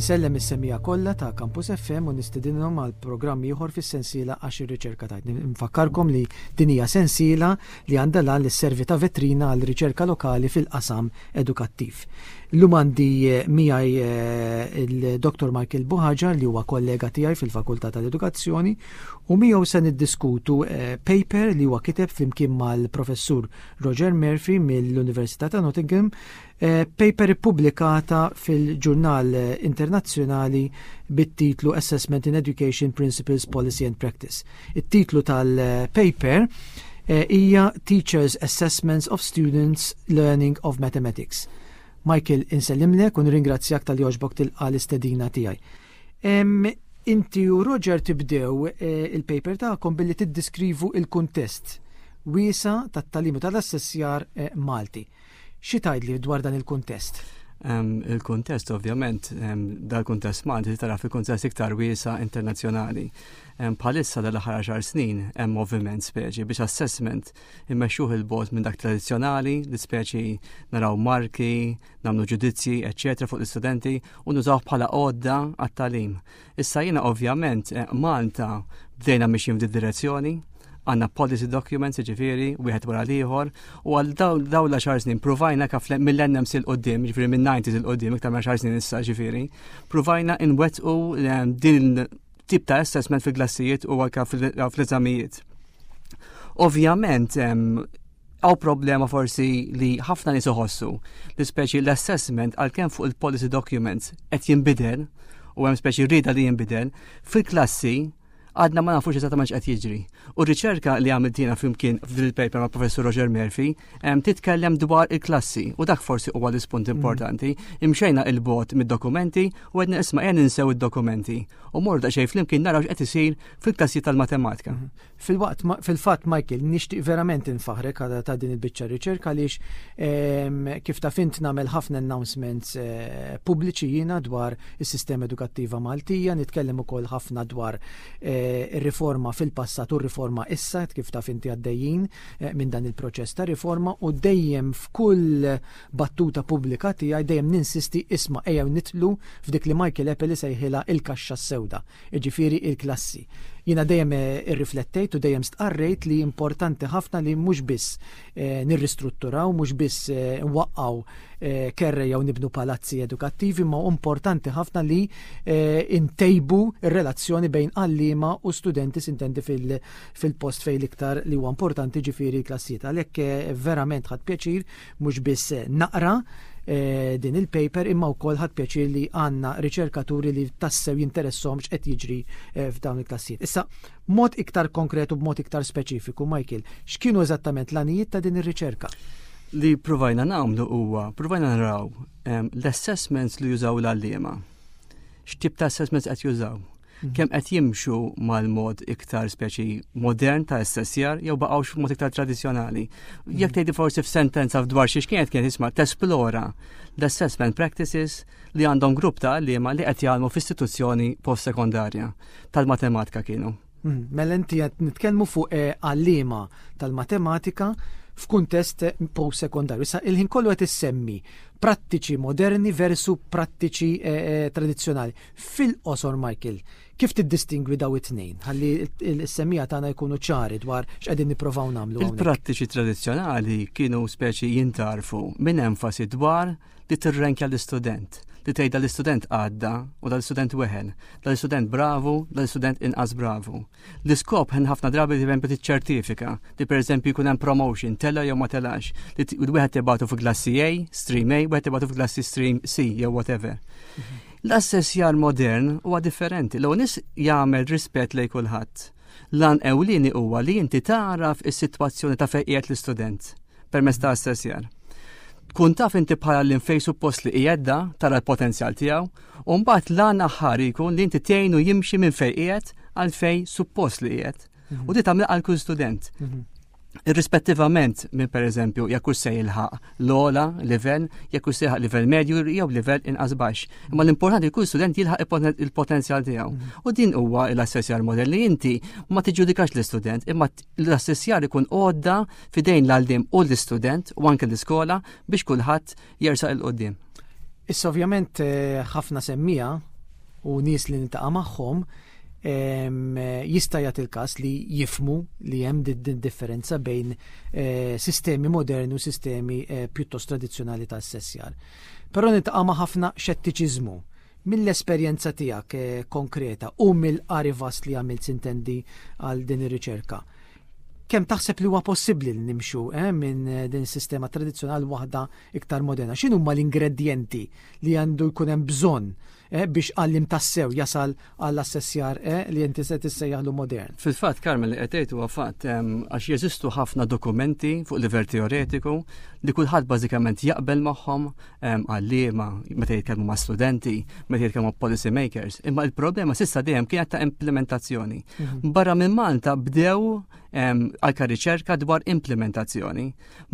Insellem is-semmiegħa kollha ta' Campus FM u nistedinhom għal programm ieħor fis-sensiela Għax ir-Riċerka Tgħid. Nfakkarkom li din hija sensiela li għandha l-għan li sservi ta' vetrina għal riċerka lokali fil-qasam edukattiv. Illum għandi eh, miegħi eh, il-Dr. Michael Buhaġar li huwa kollega tiegħi fil-Fakultà tal-Edukazzjoni u miegħu se niddiskutu eh, paper li huwa kiteb flimkien mal-Professur Roger Murphy mill-Università ta' Nottingham Eh, paper ippubblikata fil-ġurnal internazzjonali bit-titlu Assessment in Education Principles, Policy and Practice. It-titlu tal-paper eh, hija Teachers Assessments of Students Learning of Mathematics. Michael, insellimlek u nirringrazzjak tal joġbok tilqa l-istedina tiegħi. Inti u Roger tibdew eh, il-paper tagħkom billi tiddiskrivu il-kuntest wiesa tat-tagħlim u tal-assessjar Malti. Xi tgħidli dwar dan il-kuntest? Il-kuntest ovvjament, dal-kuntest Malti tara fil-kuntest iktar wiesa internazzjonali. Bħalissa dal-aħħar għaxar snin hemm moviment speċi biex assessment immexxuh il-bot minn dak tradizzjonali li speċi naraw marki, nagħmlu ġudizzji, eċċetera fuq l-istudenti u nużawh bħala għodda għat-tagħlim. Issa jiena ovvjament eh, Malta bdejna mixjin f'di direzzjoni, għanna policy documents, ġifiri, wieħed wara l-ieħor, u għal daw l-għaxar snin provajna kaf mill-NMC l-qoddim, ġifiri minn 90s il-qoddim, iktar minn 10 snin issa ġifiri, provajna inwettqu eh, din tip ta' assessment fil-klassijiet u anka fl-eżamijiet. Ovvjament, Hawn problema forsi li ħafna nies iħossu li speċi l-assessment għalkemm fuq il-policy documents qed jinbidel u hemm speċi rieda li jinbidel, fil-klassi għadna ma nafux eżattament x'qed jiġri. U r-riċerka li għamilt jiena flimkien f'din il-paper ma' Professur Roger Murphy titkellem dwar il-klassi u dak forsi huwa l-ispunt mm. importanti. Imxejna il-bot mid-dokumenti u għedna isma' qiegħed ninsew id-dokumenti u morda daqsxejn flimkien naraw x'qed isir fil-klassi tal-matematika. Mm. Filwaqt, fil-fatt Michael, nixtieq verament infaħrek ta' din il-biċċa riċerka għaliex ehm, kif taf int nagħmel ħafna announcements eh, pubbliċi jiena dwar is-sistema edukattiva Maltija, nitkellem ukoll ħafna dwar eh, ir-riforma fil-passat u r-riforma issa, kif taf inti għaddejjin eh, minn dan il-proċess ta' riforma u dejjem f'kull battuta pubblika tiegħi dejjem ninsisti isma' ejjew nitlu f'dik li Michael Apple sejħilha il-kaxxa s-sewda jiġifieri il-klassi. Jiena dejjem eh, irriflettejt u dejjem stqarrejt li importanti ħafna li mhux biss eh, nirristrutturaw, mhux biss eh, nwaqqgħu kerre jew nibnu palazzi edukattivi, ma importanti ħafna li ntejbu r-relazzjoni bejn għalliema u studenti sintendi fil-post fejn l-iktar li huwa importanti ġifieri l-klassijiet. Għalhekk verament ħadd pjaċir mhux biss naqra eh, din il-paper imma wkoll ħadd pjaċir li għandna riċerkaturi li tassew jinteressom x'qed jiġri eh, f'dawn il-klassijiet. Issa, mod iktar konkret u b'mod iktar speċifiku, Michael, x'kienu eżattament l-għanijiet ta' din ir-riċerka? Li provajna nagħmlu huwa, provajna naraw ehm, l-assessments li jużaw l-għalliema. X'tip ta' assessments qed jużaw? Mhm. Kemm qed jimxu mal-mod iktar speċi modern ta' SSR jew baqgħux mod iktar tradizzjonali. Mhm. Jekk tgħidi forsi f'sentenza dwar xiex kienet kienet isma' tesplora l-assessment practices li għandhom grupp ta' għalliema li qed jgħallmu f'istituzzjoni post-sekondarja tal-matematika kienu. Mhm. Mela inti qed nitkellmu fuq eh, għalliema tal-matematika f'kuntest post-sekondarju. Issa il-ħin kollu qed issemmi prattiċi moderni versu prattiċi eh, eh, tradizzjonali. Fil-qosor Michael, kif tiddistingwi daw it-tnejn? Ħalli l-semmiegħa tagħna jkunu ċari dwar x'qegħdin nipprovaw nagħmlu. Il-prattiċi tradizzjonali kienu speċi jintarfu minn enfasi dwar li tirrenkja l-istudent, li tgħidha l-istudent għadda u dal-istudent weħel, dal-istudent bravu, dal-istudent inqas bravu. L-iskop ħen ħafna drabi li pereżempju tiċċertifika li pereżempju jkun hemm promotion, tela jew ma telax, li wieħed tibgħatu fi klassi A, stream A, wieħed tibgħatu fi klassi stream C jew whatever. Mhm. L-assessjar modern huwa differenti, l nies jagħmel rispett lejn kulħadd. Lan ewlieni huwa li inti tagħraf is-sitwazzjoni ta' fejn qiegħed l-istudent permezz ta' assessjar. Tkun taf inti bħala l fejn suppost li qiegħed da, tara l-potenzjal tiegħu, u mbagħad l-għan aħħar jkun li inti tgħinu jimxi minn fejn qiegħed għal fejn suppost li qiegħed. Mhm. U di tagħmel għal kull student. Mhm. Irrispettivament minn pereżempju jekk hux se jilħaq l-ogħla livell, jekk hux se jilħaq livell medju jew livell inqas baxx. Imma l-importanti kull student jilħaq il-potenzjal tiegħu. Mhm. U din huwa l-assessjar model li inti ma tiġġudikax l-istudent, imma l-assessjar ikun għodda fidejn l-għallim u l-istudent u anke l-iskola biex kulħadd jersaq il-qoddim. Issa ovvjament eh, ħafna semmija u nies li niltaqa' magħhom jista' jagħti il-każ li jifhmu li hemm din differenza bejn eh, sistemi moderni u sistemi eh, pjuttost tradizzjonali ta' assessjar. Però niltaqa' ma' ħafna xettiċiżmu mill-esperjenza tiegħek eh, konkreta u mill-qari vast li għamilt sintendi għal din ir-riċerka. Kemm taħseb li huwa possibbli li nimxu minn din is-sistema tradizzjonali waħda iktar moderna? X'inhuma l-ingredjenti li għandu jkun hemm bżonn biex għalliem tassew jasal għall-assessjar li inti se tissejjaħlu modern? Fil-fatt, Carmen, li qed tgħid huwa fatt għax jeżistu ħafna dokumenti fuq livell teoretiku li kulħadd bażikament jaqbel magħhom għalliema meta jitkellmu ma' studenti, meta jitkellmu ma' policy makers, imma il-problema s'issa dejjem kienet ta' implementazzjoni. Barra minn Malta bdew anka riċerka dwar implementazzjoni.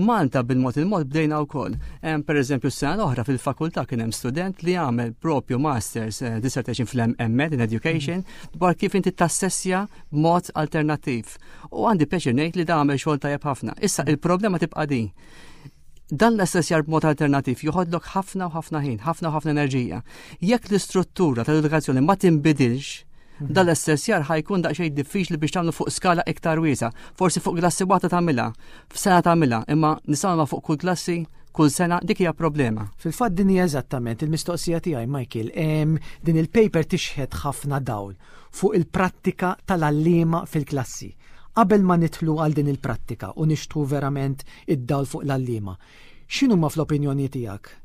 Malta bil-mod il-mod bdejna wkoll. Per eżempju, s-sena l-oħra fil-fakultà kien hemm student li għamel propju masters eh, dissertation fl-MEd in Education dwar kif inti tassessja b'mod alternattiv. U għandi pjaċir ngħid li da għamel xogħol tajjeb ħafna. Issa il-problema tibqa' din. Dan l-assessjar b'mod alternattiv joħodlok ħafna u ħafna ħin, ħafna u ħafna enerġija. Jekk l-istruttura tal-edukazzjoni ma tinbidilx, dan l-assessjar ħa jkun daqsxejn diffiċli biex tagħmlu fuq skala iktar wiesgħa. Forsi fuq klassi waħda tagħmilha, f'sena tagħmilha, imma nistgħu fuq kull klassi kull sena dik hija problema. Fil-fatt din hija eżattament il-mistoqsija tiegħi, Michael. Din il-paper tixħet ħafna dawl fuq il-prattika tal-għalliema fil-klassi. Qabel ma nidħlu għal din il-prattika u nixtħu verament id-dawl fuq l-għalliema, x'inhuma fl-opinjoni tiegħek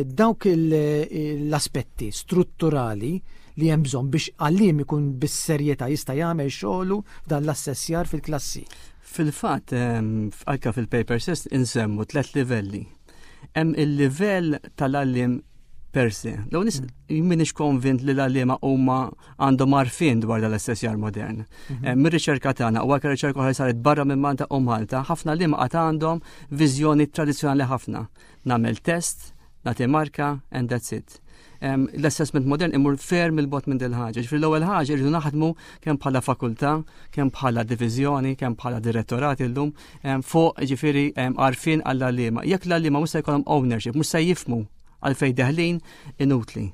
dawk l-aspetti strutturali li hemm bżonn biex għalliem ikun bis-serjetà jista' jagħmel xogħlu f'dan l-assessjar fil-klassi? Fil-fatt, anke fil-paper stess insemmu tlet livelli. Hemm il-livell tal-għalliem per se. Law nis minix konvint li l-għalliema huma għandhom għarfien dwar dal-assessjar modern. Mir-riċerka tagħna u anke riċerka oħra saret barra minn Malta u Malta, ħafna għalliema qatt għandhom viżjoni tradizzjonali ħafna. Nagħmel test, nagħti marka and that's it. L-assessment modern imur ferm 'il bogħod minn dil ħaġa. Ġifieri l-ewwel ħaġa irridu naħdmu kemm bħala fakultà, kemm bħala diviżjoni, kemm bħala direttorati llum fuq ġifieri għarfien għall-għalliema. Jekk l-għalliema mhux se jkollhom ownership, mhux se jifhmu għalfejn deħlin, inutli.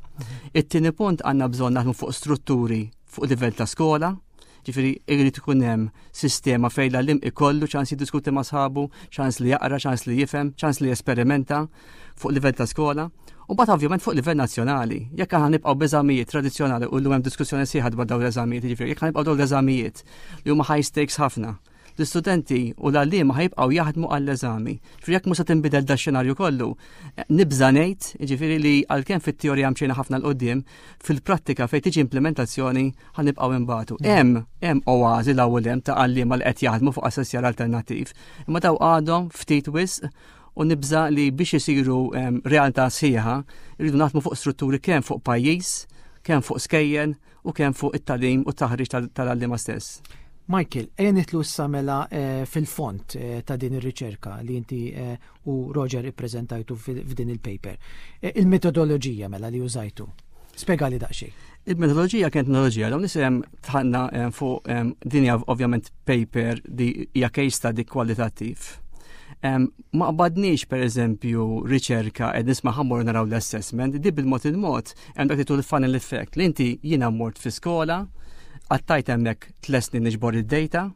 It-tieni punt għandna bżonn naħdmu fuq strutturi fuq livell ta' skola, ġifieri irid ikun hemm sistema fejn l-għalliem ikollu ċans jiddiskuti ma' sħabu, ċans li jaqra, ċans li jifhem, ċans li jesperimenta fuq livell ta' skola. U mbagħad ovvjament fuq livell nazzjonali. Jekk aħna nibqgħu b'eżamijiet tradizzjonali u llum hemm diskussjoni sħiħa dwar dawn l-eżamijiet, ġifieri jekk nibqgħu dawn l-eżamijiet li huma high stakes ħafna, l-istudenti u l-għalliema ħa jibqgħu jaħdmu għall-eżami. Ġifieri jekk mhux se tinbidel da xenarju kollu, nibża ngħid, ġifieri li għalkemm fit-teorija mxejna ħafna 'l quddiem, fil-prattika fejn tiġi implementazzjoni ħa nibqgħu imbatu. Hemm oażi l-ewwel hemm ta' għalliema li qed jaħdmu fuq assessjar alternattiv, imma daw għadhom ftit wisq u nibża li biex isiru realtà sħiħa rridu naħdmu fuq strutturi kemm fuq pajjiż, kemm fuq skejjel u kemm fuq it-tagħlim u t-taħriġ tal-għalliema stess. Michael, ejja nidħlu issa mela fil-fond ta' din ir-riċerka li inti u Roger ippreżentajtu f'din il-paper. Il-metodoloġija mela li użajtu. Spjegali daqsxejn. Il-metodoloġija kienet metodoloġija, dawn nisem tħanna fuq din hija ovvjament paper li hija case study kwalitattiv. Ma qbadniex per eżempju riċerka qed nisma' ħa mmorru naraw l-assessment, di bil-mod il-mod hemm dak li tul funnel effect li inti jiena mort fi skola, qattajt hemmhekk 3 snin niġbor id-data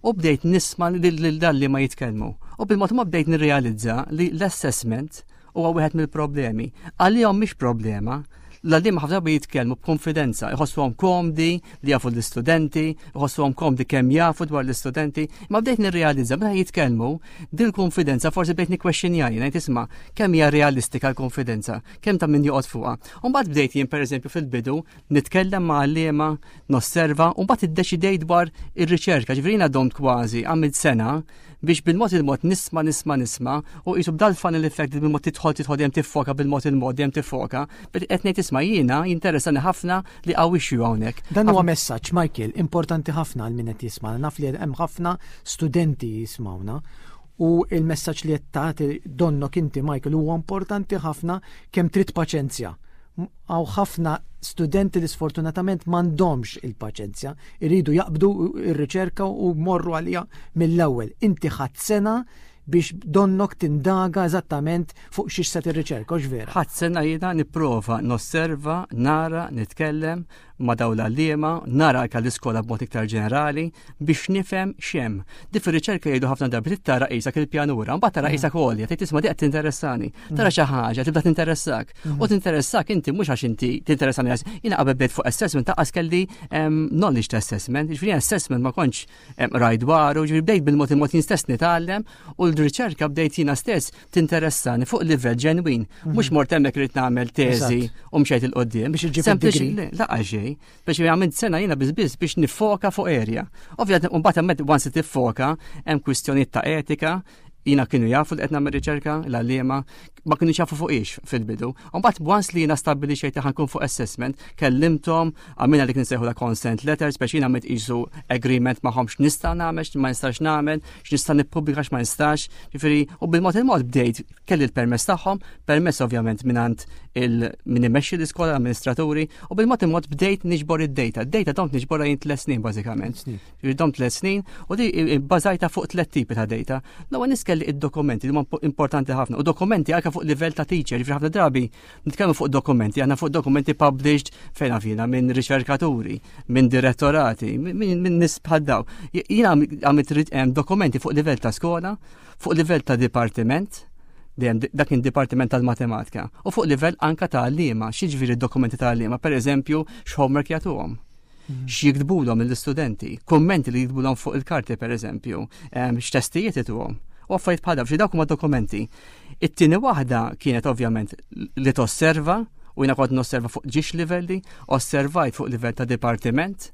u bdejt nisma' lil dan li ma jitkellmu. U bil-mod ma bdejt nirrealizza li l-assessment huwa wieħed mill-problemi. Għalihom mhix problema, l-għalliema ħafna drabi jitkellmu b'konfidenza, iħossuhom komdi li jafu l-istudenti, iħossuhom komdi kemm jafu dwar l-istudenti, ma bdejt nirrealizza meta jitkellmu din il-konfidenza forsi bdejt nikkwestjonja jien, ngħid isma' kemm hija realistika l-konfidenza, kemm ta' min joqgħod fuqha. U mbagħad bdejt jien pereżempju fil-bidu nitkellem ma' għalliema, nosserva, u mbagħad iddeċidejt dwar ir-riċerka, ġifieri jiena domt kważi għamilt sena biex bil-mod il-mod nisma' nisma' nisma' u qisu b'dal funnel effect li bil-mod tidħol tidħol dejjem tiffoka bil-mod il-mod dejjem tiffoka, qed ngħid isma' jiena jinteressani ħafna li hawn issue hawnhekk. Dan huwa messaġġ, Michael, importanti ħafna għal min qed jisma'. Naf li hemm ħafna studenti jismawna u il-messaġġ li qed tagħti donnok inti, Michael, huwa importanti ħafna kemm trid paċenzja. Hawn ħafna studenti li sfortunatament m'għandhomx il-paċenzja, iridu jaqbdu ir-riċerka u morru għalija mill-ewwel. Inti ħadd sena biex donnok tindaga eżattament fuq xiex se tirriċerka, hux vera? Ħadt sena jiena nipprova nosserva, nara, nitkellem ma' dawn l-għalliema, nara anke l-iskola b'mod iktar ġenerali biex nifhem x'hemm. Di fir-riċerka jgħidu ħafna drabi trid tara qisek il-pjanura, mbagħad tara qisek għolja, tgħid isma' di qed tinteressani. Tara xi ħaġa tibda tinteressak. U tinteressak inti mhux għax inti tinteressani għax jiena qabel bdejt fuq assessment taqqas kelli knowledge ta' assessment, jiġifieri assessment ma kontx raj dwaru, ġifieri bdejt bil-mod il-mod jien stess nitgħallem u l-riċerka bdejt jiena stess tinteressani fuq livell ġenwin. Mhux mort hemmhekk irid nagħmel teżi u mxejt il-qoddim. Biex iġġib id-degree. Laqa xejn, biex għamilt sena jiena biss biss biex nifoka fuq area. Ovvjament mbagħad hemmhekk once tiffoka hemm kwistjonijiet ta' etika, jiena kienu jafu li qed nagħmel riċerka, l-għalliema, ma kienu jafu fuq ix fil-bidu. Mbagħad once li jiena stabbilixxejt li ħankun fuq assessment, kellimthom, għamilna dik nsejħu la consent letters biex jiena għamilt qisu agreement magħhom x'nista' nagħmel, x'ma nistax nagħmel, x'nista' nippubblika x'ma nistax. Ġifieri, u bil-mod il-mod bdejt kelli l-permess tagħhom, permess ovvjament mingħand il min imexxi l-iskola, l-amministraturi, u bil-mod il-mod bdejt niġbor id-data. Id-data domt niġborha jien tliet snin bażikament. Ġifieri domt tliet snin u di bbażajta fuq tliet tipi ta' data. L-ewwel nies kelli id-dokumenti li huma importanti ħafna u dokumenti anke fuq livell ta' teacher, ġifieri ħafna drabi nitkellmu fuq dokumenti, aħna fuq dokumenti published fejn għafina minn riċerkaturi, minn direttorati, minn nies bħal daw. Jiena għamilt dokumenti fuq livell ta' skola, fuq livell ta' dipartiment, dejjem dak kien dipartiment tal-matematika, u fuq livell anka ta' għalliema, x'jiġifieri dokumenti ta' għalliema, per eżempju, x'homework jagħtuhom. X'jiktbulhom lill-istudenti, kummenti li jiktbulhom fuq il-karti per eżempju, x'testijiet ituhom. U affarijiet bħal dawn, dawk huma dokumenti. It-tieni waħda kienet ovvjament li tosserva, u jiena kont nosserva fuq ġiex livelli, osservajt fuq livell ta' dipartiment,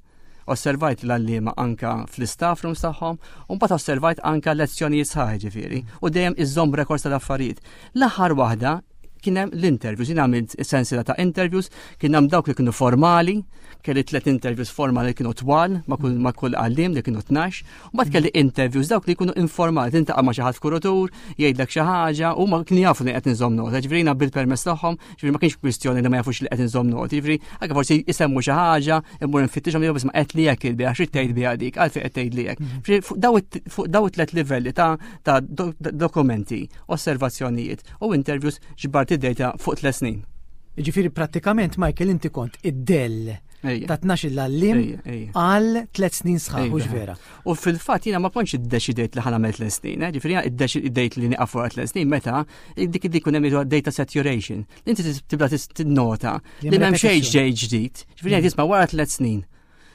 osservajt l-għalliema anka fl-istaff rooms tagħhom, u mbagħad osservajt anka lezzjonijiet sħaħ ġifieri, u dejjem iżżomm records tal-affarijiet. L-aħħar waħda kien hemm l-interviews, jien għamilt sensiela ta' interviews, kien hemm dawk li kienu formali, kelli tliet interviews formali li kienu twal ma' kull ma' kull għalliem li kienu 12, u mbagħad kelli interviews dawk li jkunu informali, tintaqa' ma' xi ħadd f'kurutur, jgħidlek xi ħaġa, u ma kienu jafu li qed inżomm nota, ġifieri jiena bil-permess tagħhom, ġifieri ma kienx kwistjoni li ma jafux li qed inżomm noti, ġifieri anke forsi jsemmu xi ħaġa, immur nfittixhom jew ma qed li hekk il-biha, xi tgħid biha dik, għalfejn qed tgħid li hekk. Ġifieri fuq daw it-tliet livelli ta' dokumenti, osservazzjonijiet u interviews ġbart id-data fuq 3 snin. Ġifieri prattikament, Michael, inti kont id-dell ta' 12 l-għalliem għal 3 snin sħaħ, hux vera? U fil-fatt jiena ma kontx iddeċidejt li ħa nagħmel 3 snin, eh? Ġifieri jiena iddeċidejt li nieqaf wara 3 snin meta dik dik ikun hemm data saturation. Inti tibda tinnota li m'hemm xejn ġej ġdid. Ġifieri jien tisma' wara 3 snin.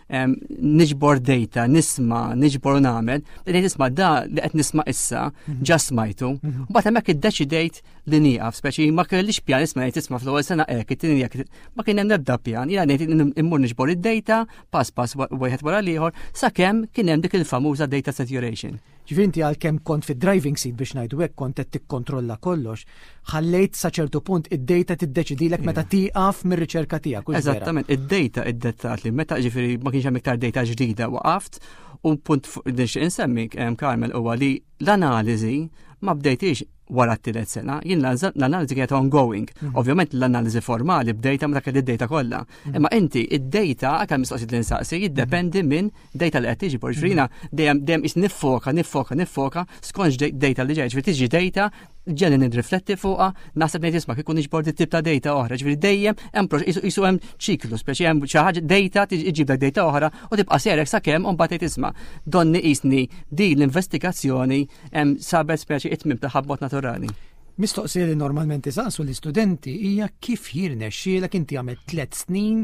Niġbor data, nisma', niġbor u nagħmel, bdejt nisma' da li qed nisma' issa, ġa smajtu. Mbagħad hemmhekk iddeċidejt li nieqaf, speċi ma kellix pjan isma' ngħid isma' fl-ewwel sena hekk, it-tieni hekk, ma kien hemm ebda pjan, jiena ngħid immur niġbor id-data, pass pass wieħed wara l-ieħor, sakemm kien hemm dik il-famuża data saturation. Ġifieri inti għalkemm kont fid-driving seat biex ngħidu hekk, kont qed tikkontrolla kollox, ħallejt sa ċertu punt id-data tiddeċidilek meta tieqaf mir-riċerka tiegħek, hux vera? Eżattament, id-data iddettat li meta ġifieri ma kienx hemm iktar data ġdida waqaft, u punt li nixtieq insemmi, Carmel, huwa li l-analiżi ma bdejtix wara t-tielet sena, jien l-analiżi kienet ongoing. Ovvjament l-analiżi formali bdejta meta kelli d-data kollha. Imma inti id-data anke mistoqsijiet li nsaqsi jiddependi minn data li qed tiġi, ġifieri jiena dejjem is niffoka, niffoka, niffoka skont data li ġej, ġifieri tiġi data ġenni nirrifletti fuqha, naħseb ngħid isma' kieku niġbor dit tip ta' data oħra, ġifieri dejjem hemm isu hemm ċiklu, speċi hemm xi ħaġa data iġib dak data oħra u tibqa' serek sakemm u mbagħad tgħid isma' donni qisni din l-investigazzjoni hemm sabet speċi it-tmiem tagħha b'mod naturali. Mistoqsija li normalment isaqsu l-istudenti hija kif jirnexxielek inti għamilt 3 snin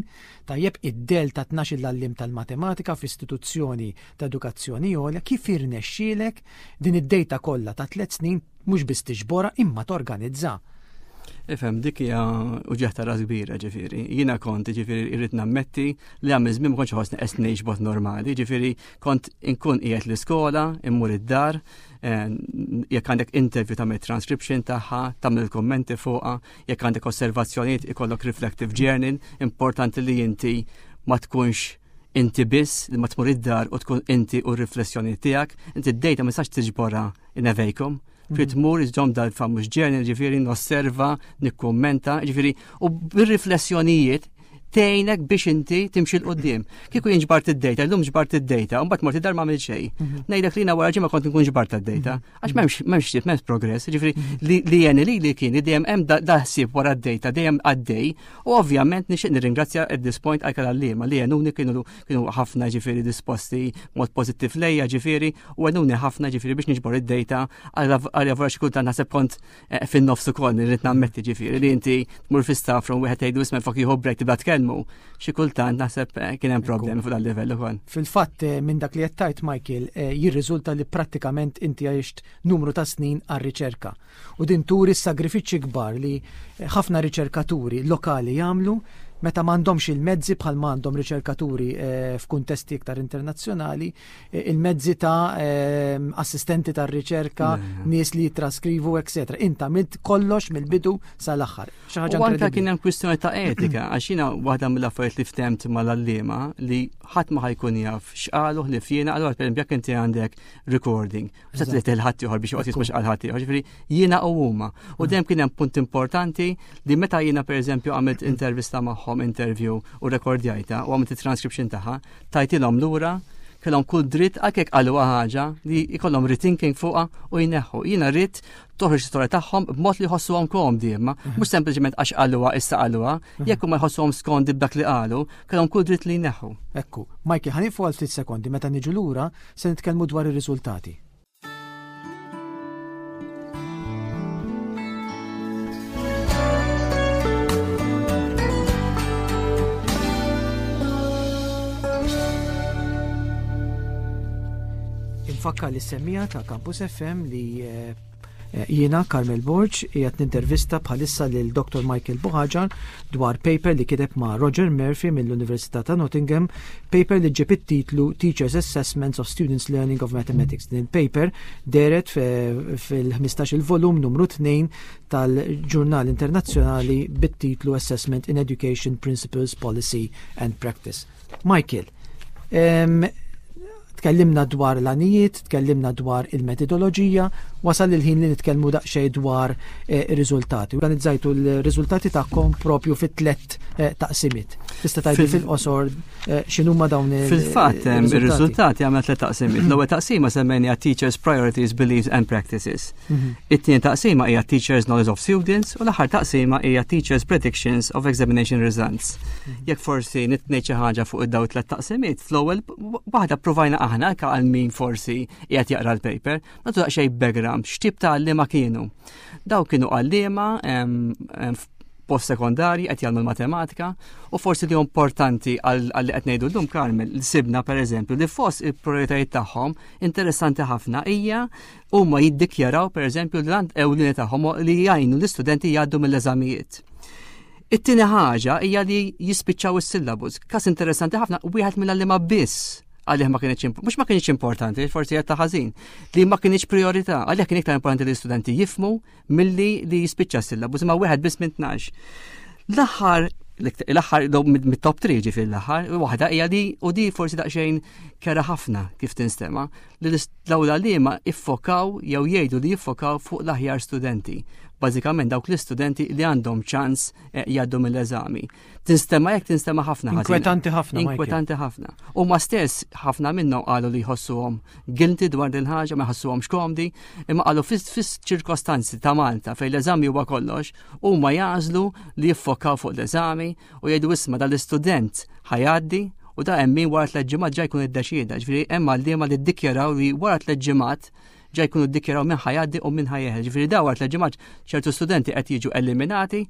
tajjeb id-del ta' 12 l-għalliem tal-matematika f'istituzzjoni ta' edukazzjoni għolja, kif jirnexxielek din id-data kollha ta' 3 snin mhux biss tiġborha imma torganizza. Ifhem, dik hija uġigħ ta' ras kbira, ġifieri. Jiena kont, ġifieri, irrid nammetti li għamil żmien ma kontx ħossni qed ngħix b'mod normali, ġifieri kont inkun qiegħed l-iskola, immur id-dar, jekk għandek interview tagħmel transcription tagħha, tagħmel kummenti fuqha, jekk għandek osservazzjonijiet ikollok reflective journal, importanti li inti ma tkunx inti biss, li ma tmur id-dar u tkun inti u r-riflessjoni tiegħek, inti d-data ma tistax tiġborha in a vacuum. Trid tmur iżżomm dal-famuż journal, ġifieri nosserva, nikkummenta, ġifieri u bir-riflessjonijiet tgħinek biex inti timxi 'l quddiem. Kieku jien ġbart id-data, llum ġbart id-data, u mbagħad mort id-dar ma għamilt xejn. Mhm. Ngħidlek li jiena wara ġimgħa kont nkun ġbart id-data. Mhm. Għax m'hemmx m'hemmx m'hemmx progress, ġifieri mhm. li jeni li li kien li dejjem hemm daħsib wara d-data dejjem għaddej u ovvjament nixtieq nirringrazzja at this point għal għalliema li għenuni kienu kienu ħafna ġifieri disposti mod pożittiv lejja ġifieri u għenuni ħafna ġifieri biex niġbor id-data għal wara xi kultant naħseb kont eh, fin-nofs ukoll nirrid nammetti ġifieri li inti tmur fi staff room wieħed tgħidu isma' flok jieħu break tibda tkellmu. Xi kultant naħseb eh, kien hemm problemi fuq dal-livell ukoll. Fil-fatt eh, minn dak li qed tgħid Michael jirriżulta li prattikament inti għixt numru ta' snin għar-riċerka. U din turi s-sagrifiċċji kbar li ħafna riċerkaturi lokali jagħmlu meta m'għandhomx il-mezzi bħal m'għandhom riċerkaturi f'kuntesti iktar internazzjonali il-mezzi ta' ehm, assistenti ta' riċerka, nies li jitraskrivu, etc. Inta għamilt kollox mill-bidu sal-aħħar. Xi ħaġa anke kien hemm kwistjoni ta' etika, għax jiena waħda mill-affarijiet li ftemt mal-allima li ħadd ma ħajkun jaf x'qalu li fjena, allura pereżempju jekk inti għandek recording, se trid il-ħadd ieħor biex joqgħod jisma' x'qal ħadd ieħor, ġifieri jiena u huma. U mm. dejjem kien hemm punt importanti li meta jiena pereżempju għamilt intervista magħhom, interview u rekordjajta u għamilt it-transcription tagħha, tajtilhom lura, kellhom kull dritt anke jekk qaluha ħaġa li jkollhom rethinking fuqha u jneħħu. Jiena rrid toħroġ l-istorja tagħhom b'mod li jħossuhom komdi imma, mhm. mhux sempliċement għax qaluha issa qaluha, mhm. jekk huma jħossuhom skondi b'dak li qalu, kellhom kull dritt li jneħħu. Ekku, Michael, ħanifu għal ftit sekondi meta niġu lura se nitkellmu dwar ir-riżultati. Infakkar li semmija ta' Campus FM li eh, eh, jiena Carmel Borg qiegħed nintervista bħalissa lil Dr. Michael Buhaġar dwar paper li kiteb ma' Roger Murphy mill-Università ta' Nottingham Paper li ġġib it-titlu Teachers' Assessments of Students' Learning of Mathematics. Din il-paper dehret fil-15 il-volum numru 2 tal-ġurnal internazzjonali bit-titlu Assessment in Education Principles, Policy and Practice. Michael, tkellimna dwar l-għanijiet, tkellimna dwar il-metodoloġija, wasal il-ħin li nitkellmu daqsxejn dwar eh, ir-riżultati. Organizzajtu l-riżultati tagħkom propju fit-tlet eh, taqsimiet. Tista' tgħidli fil-qosor eh, x'inhuma dawn il Fil-fatt ir-riżultati għamel tliet taqsimiet. L-ewwel taqsima semmejniha Teachers Priorities, Beliefs and Practices. Mhm. It-tieni taqsima hija Teachers Knowledge of Students u l-aħħar taqsima hija Teachers Predictions of Examination Results. Mhm. Jekk forsi nitngħid xi ħaġa fuq id-daw tliet taqsimiet, fl-ewwel waħda provajna aħna anke għal min forsi qiegħed jaqra l-paper, nagħtu daqsxejn background x'tip ta' għalliema kienu. Daw kienu għalliema post sekondarji qed jagħmlu l-matematika u forsi li importanti għal li qed ngħidu llum Carmel li sibna pereżempju li fost il-prioritajiet tagħhom interessanti ħafna hija huma jiddikjaraw pereżempju li l ewlieni tagħhom li jgħinu l-istudenti jgħaddu mill-eżamijiet. It-tieni ħaġa hija li jispiċċaw is-syllabus. Kas interessanti ħafna wieħed mill-għalliema biss għalih ma kienx mhux ma kienx importanti, forsi qed ta' ħażin, li ma kienx priorità, għalih kien iktar importanti li l-istudenti jifmu milli li jispiċċa s-syllabus, imma wieħed biss minn 12. L-aħħar l-aħħar mit-top 3 ġifieri l-aħħar, waħda hija li u di forsi daqsxejn kera ħafna kif tinstema' li l-awla liema iffokaw jew jgħidu li jiffokaw fuq l-aħjar studenti. Bażikament dawk l-istudenti li għandhom ċans eh, jgħaddu mill-eżami. Tinstema jekk tinstema ħafna ħażin. Inkwetanti ħafna. Inkwetanti ħafna. U ma stess ħafna minnhom qalu li jħossuhom guilty dwar din ħaġa, ma jħossuhomx komdi, imma qalu fis-ċirkostanzi ta' Malta fejn l-eżami huwa kollox, huma jagħżlu li jiffokaw fuq l-eżami u jgħidu isma' dal-istudent ħajgħaddi u da hemm min wara tliet ġimgħat ġa jkun iddeċieda. Ġifieri hemm għalliema li ddikjaraw li wara tliet ġimgħat ġa jkunu ddikjaraw min ħajgħaddi u min ħajeħel. Ġifieri daw wara tliet ġimgħat ċertu studenti qed jiġu eliminati,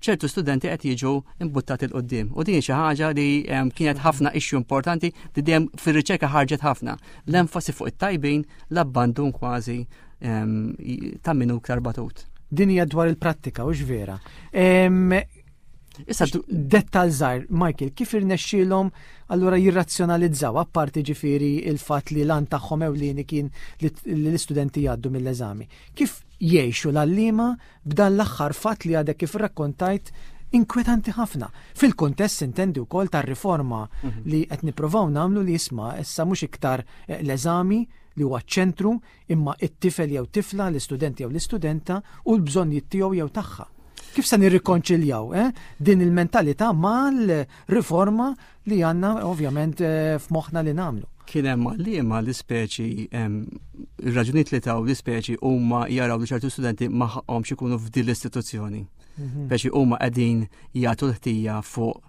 ċertu studenti qed jiġu imbuttati 'l quddiem. U din xi ħaġa li kienet ħafna issue importanti li dejjem fir-riċerka ħarġet ħafna. L-enfasi fuq it-tajbin, l-abbandun kważi ta' min hu iktar batut. Din hija dwar il-prattika, hux vera. Issa dettal żgħir, Michael, kif irnexxielhom allura jirrazzjonalizzaw apparti ġifieri il-fatt li lan tagħhom ewlieni kien li l-istudenti jgħaddu mill-eżami. Kif jgħixu l-għalliema b'dan l-aħħar fatt li għadek kif rakkontajt inkwetanti ħafna. Fil-kuntest intendi wkoll tar-riforma mhm. li qed nipprovaw nagħmlu li jisma' issa mhux iktar eh, l-eżami li huwa ċ-ċentru imma it-tifel jew tifla, l-istudent jew l-istudenta u l-bżonnijiet tiegħu jew tagħha. Kif se nirrikonċiljaw eh, din il-mentalità mal-riforma li għandna ovvjament eh, f'moħħna li nagħmlu? Kien hemm għalliema l-ispeċi ir-raġunijiet li taw l-ispeċi huma jaraw li ċertu studenti ma ħaqhomx ikunu f'din l-istituzzjoni. Mhm. Speċi huma qegħdin jagħtu l-ħtija fuq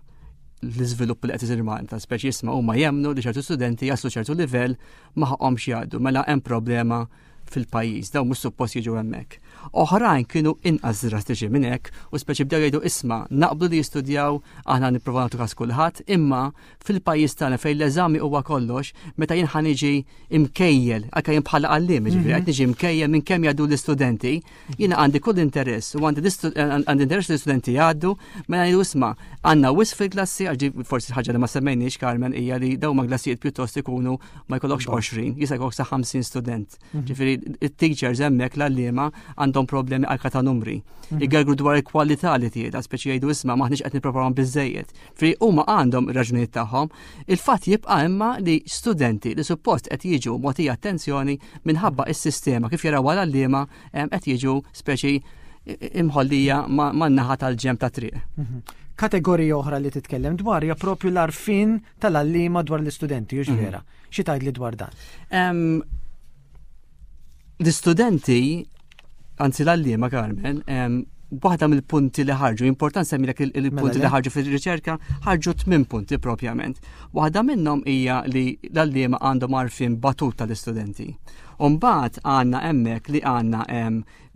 l-iżvilupp li qed isir Malta, speċi jisma' huma jemmnu li ċertu studenti jaslu ċertu livell ma ħaqhomx jgħaddu, mela hemm problema fil-pajjiż, dawn mhux suppost jiġu hemmhekk. Oħrajn kienu inqas drastiċi minn hekk u speċi bdew jgħidu isma' naqblu li jistudjaw aħna nipprovaw nagħtu każ kulħadd, imma fil-pajjiż tagħna fejn l-eżami huwa kollox, meta jien ħa niġi imkejjel, anke jien bħala għalliem, jiġifieri mhm. qed niġi imkejjel minn kemm jgħaddu l-istudenti, jiena għandi kull interess u għandi għandi interess l-istudenti jgħaddu, mela ngħidu isma' għandna wisq fil-klassi, għax forsi ħaġa li ma semmejniex Carmen hija li dawn ma klassijiet pjuttost ikunu ma jkollokx 20, jista' jkollok sa 50 student. Mhm. Ġifieri it-teachers hemmhekk l-għalliema għandhom problemi anke ta' numri. Mhm. Igergru dwar il-kwalità li tieda, speċi jgħidu isma' maħniex qed nipprovaw biżejjed. Fri huma għandhom raġunijiet tagħhom. Il-fatt jibqa' imma li studenti li suppost qed jiġu mogħtija attenzjoni minħabba is-sistema kif jaraw għal-għalliema qed jiġu speċi imħollija man-naħa tal-ġemp ta' triq. Mhm. Kategorija oħra li titkellem dwar hija propju l-arfin tal-għalliema dwar l-istudenti, hux mhm. vera? Xi tgħidli dwar dan? L-istudenti, anzi l-għalliema Carmen, waħda mill-punti li ħarġu, important semmilek il-punti mela li ħarġu fil-riċerka, ħarġu tmien punti propjament. Waħda minnhom hija li l-għalliema għandhom għarfien batut tal-istudenti. Umbagħad għandna hemmhekk li għandna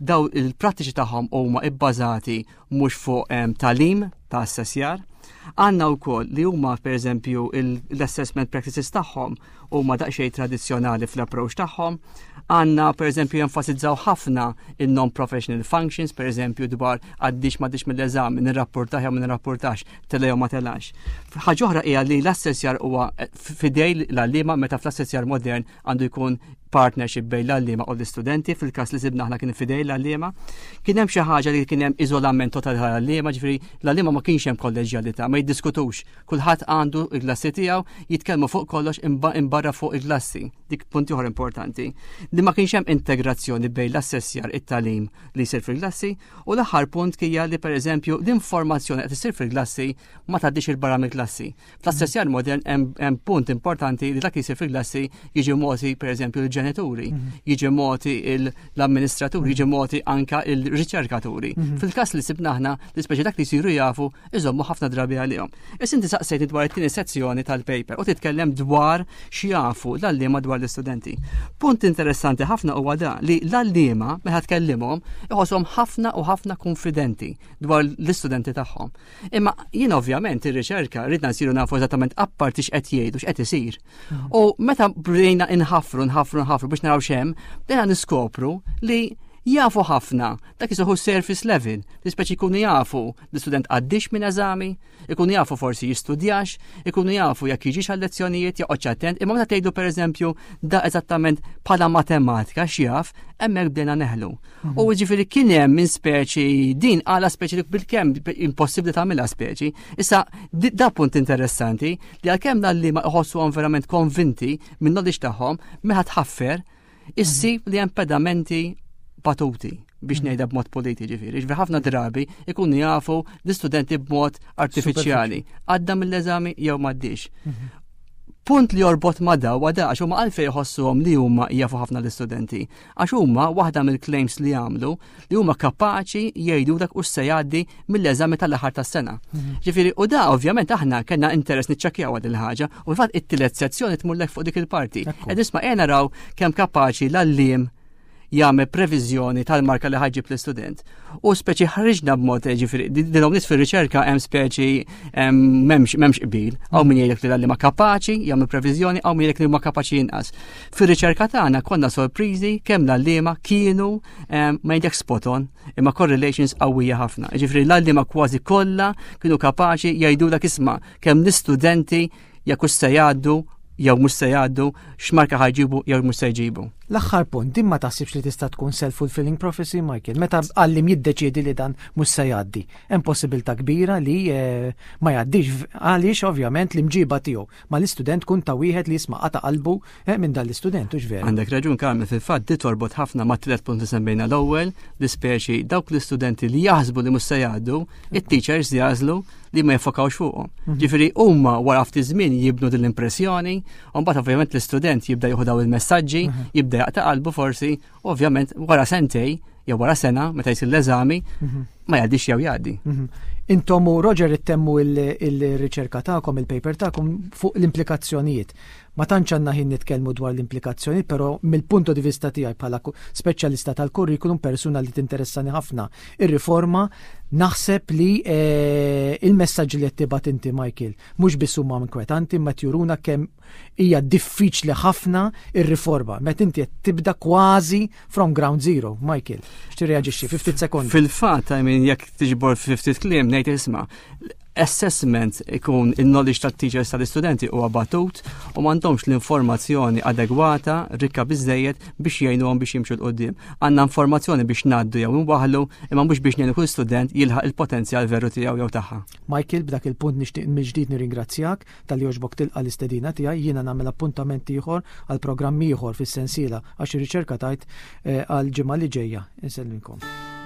daw il-prattiċi tagħhom huma ibbażati mhux fuq tagħlim ta' assessjar. Għandna wkoll li huma pereżempju l-assessment practices tagħhom huma daqsxejn tradizzjonali fl-approach tagħhom. Għandna pereżempju jenfasizzaw ħafna il-non-professional functions, pereżempju dwar għaddix m'għaddix mill-eżami, nirrapportax jew ma nirrapportax, tela jew ma telax. Ħaġa oħra hija li l-assessjar huwa fidej l-għalliema meta fl-assessjar modern għandu jkun partnership bejn l-għalliema u l-istudenti, fil-każ li sibna aħna kien fidej l-għalliema. Kien hemm xi ħaġa li kien hemm iżolament totali tal-għalliema, ġifieri l-għalliema ma kienx hemm kolleġjalità, ma jiddiskutux. Kulħadd għandu il-klassi tiegħu, jitkellmu fuq kollox imbarra fuq il-klassi. Dik punt ieħor importanti. Li ma kienx hemm integrazzjoni bejn l-assessjar it-tagħlim li jsir fil-klassi u l-aħħar punt kija li pereżempju l-informazzjoni qed issir fil-klassi ma tgħaddix il-barra mill-klassi. Fl-assessjar modern hemm punt importanti li dak li jsir fil-klassi jiġi mogħti pereżempju l-ġenituri, mhm. jiġi mogħti l-amministraturi, jiġi mogħti anka il-riċerkaturi. Mhm. Fil-każ li sibna aħna li speċi dak li jsiru jafu iżommu ħafna drabi għalihom. Issa inti saqsejtni dwar it-tieni sezzjoni tal-paper u titkellem dwar x'jafu l-għalliema dwar l-istudenti. Punt interessanti ħafna huwa da li l-għalliema meta tkellimhom iħosshom ħafna u ħafna konfidenti dwar l-istudenti tagħhom. Imma jien ovvjament ir-riċerka ridna nsiru nafu eżattament apparti x'qed jgħidu x'qed isir. Mm. U meta bdejna inħafru, nħafru, nħafru biex naraw x'hemm, bdejna niskopru li jafu ħafna dak jisuħu surface level, li speċi jkunu jafu l-istudent għaddix minn eżami, ikunu jafu forsi jistudjax, ikunu jafu jekk jiġix għal lezzjonijiet, joqgħodx attent, imma meta tgħidu pereżempju da eżattament bħala matematika x'jaf, hemmhekk bdejna neħlu. Mhm. U ġifieri kien hemm minn speċi din għala speċi li bil-kemm impossibbli tagħmilha speċi. Issa da punt interessanti li għalkemm l ma iħossuhom verament konvinti minn knowledge tagħhom meta tħaffer issib li hemm pedamenti batuti biex mhm. ngħidha b'mod politi ġifieri. Ġifieri ħafna drabi ikunu jafu l-istudenti b'mod artifiċjali. Għadda mill-eżami jew m'għaddix. Mhm. Punt li jorbot ma daw għada għax huma għalfejn jħossuhom li huma jafu ħafna l-istudenti. Għax huma waħda mill-claims li għamlu li huma kapaċi jgħidu dak u se jgħaddi mill-eżami tal-aħħar tas-sena. Mhm. Ġifieri u da ovvjament aħna kellna interess niċċekkjaw għad il-ħaġa u fil-fatt it-tielet sezzjoni tmurlek fuq dik il-parti. Ed isma' qiegħ naraw kemm kapaċi l-għalliem jagħmel previżjoni tal-marka li ħaġib l-istudent. U speċi ħriġna b'mod eh, ġifieri dinhom nies fir-riċerka hemm speċi m'hemmx m'hemmx qbil. Hawn min jgħidlek li l-għalliema kapaċi jagħmel previżjoni, hawn min jgħidlek li huma kapaċi inqas. Fir-riċerka tagħna konna sorpriżi kemm l-għalliema kienu ma jgħidlek spot on, imma correlations qawwija ħafna. Ġifieri l-għalliema kważi kollha kienu kapaċi jgħidulek isma' kemm l-istudenti jekk hux se jgħaddu jew mhux se jgħaddu, x'marka ħajġibu jew mhux se jġibu. L-aħħar punt, din ma taħsibx li tista' tkun self-fulfilling prophecy, Michael? Meta għallim jiddeċiedi li dan mhux se jgħaddi, hemm possibilità kbira li eh, ma jgħaddix għaliex ovvjament l-imġiba tiegħu mal-istudent tkun ta' wieħed li jisma' qata' qalbu eh, minn dan l-istudent, hux vera? Għandek raġun Carmen, fil-fatt di torbot ħafna ma' tliet punt li semmejna l-ewwel, li speċi dawk l-istudenti li jaħsbu li mhux se jgħaddu, it-teachers jażlu li ma jiffokawx fuqhom. Mhm. Ġifieri huma wara ftit żmien jibnu din l-impressjoni, u mbagħad ovvjament l-istudent jibda jieħu daw il-messaġġi, mhm. jibda jaqta' qalbu forsi, ovvjament wara sentej jew wara sena meta jsir l-eżami mhm. ma jgħaddix jew jgħaddi. Intom u Roger ittemmu il-riċerka tagħkom, il-paper tagħkom fuq l-implikazzjonijiet. Ma tantx għandna ħin nitkellmu dwar l-implikazzjonijiet, però mill-punto di vista tiegħi bħala speċjalista tal-kurrikulum, persuna li tinteressani ħafna ir-riforma, naħseb li eh, il-messaġġi li qed tibgħat inti Michael mhux biss huma inkwetanti imma juruna kemm hija diffiċli ħafna ir-riforma. Meta inti qed tibda kważi from ground zero, Michael. X'tirreaġixxi fi ftit sekondi? Fil-fatt, I mean, jekk tiġbor fi ftit kliem ngħid isma' assessment ikun il-knowledge tat-teachers tal-istudenti huwa batut u m'għandhomx l-informazzjoni adegwata, rikka biżejjed biex jgħinuhom biex jimxu 'l quddiem. Għandna informazzjoni biex ngħaddu jew inwaħħlu, imma mhux biex ngħinu kull student jilħaq il-potenzjal veru tiegħu jew tagħha. Michael, b'dak il-punt nixtieq mill-ġdid nirringrazzjak talli għoġbok tilqa' l-istedina tiegħi. Jiena nagħmel appuntament ieħor għal programm ieħor fis-sensiela għax ir-riċerka tgħid eh, għall-ġimgħa li ġejja. Insellmilkom.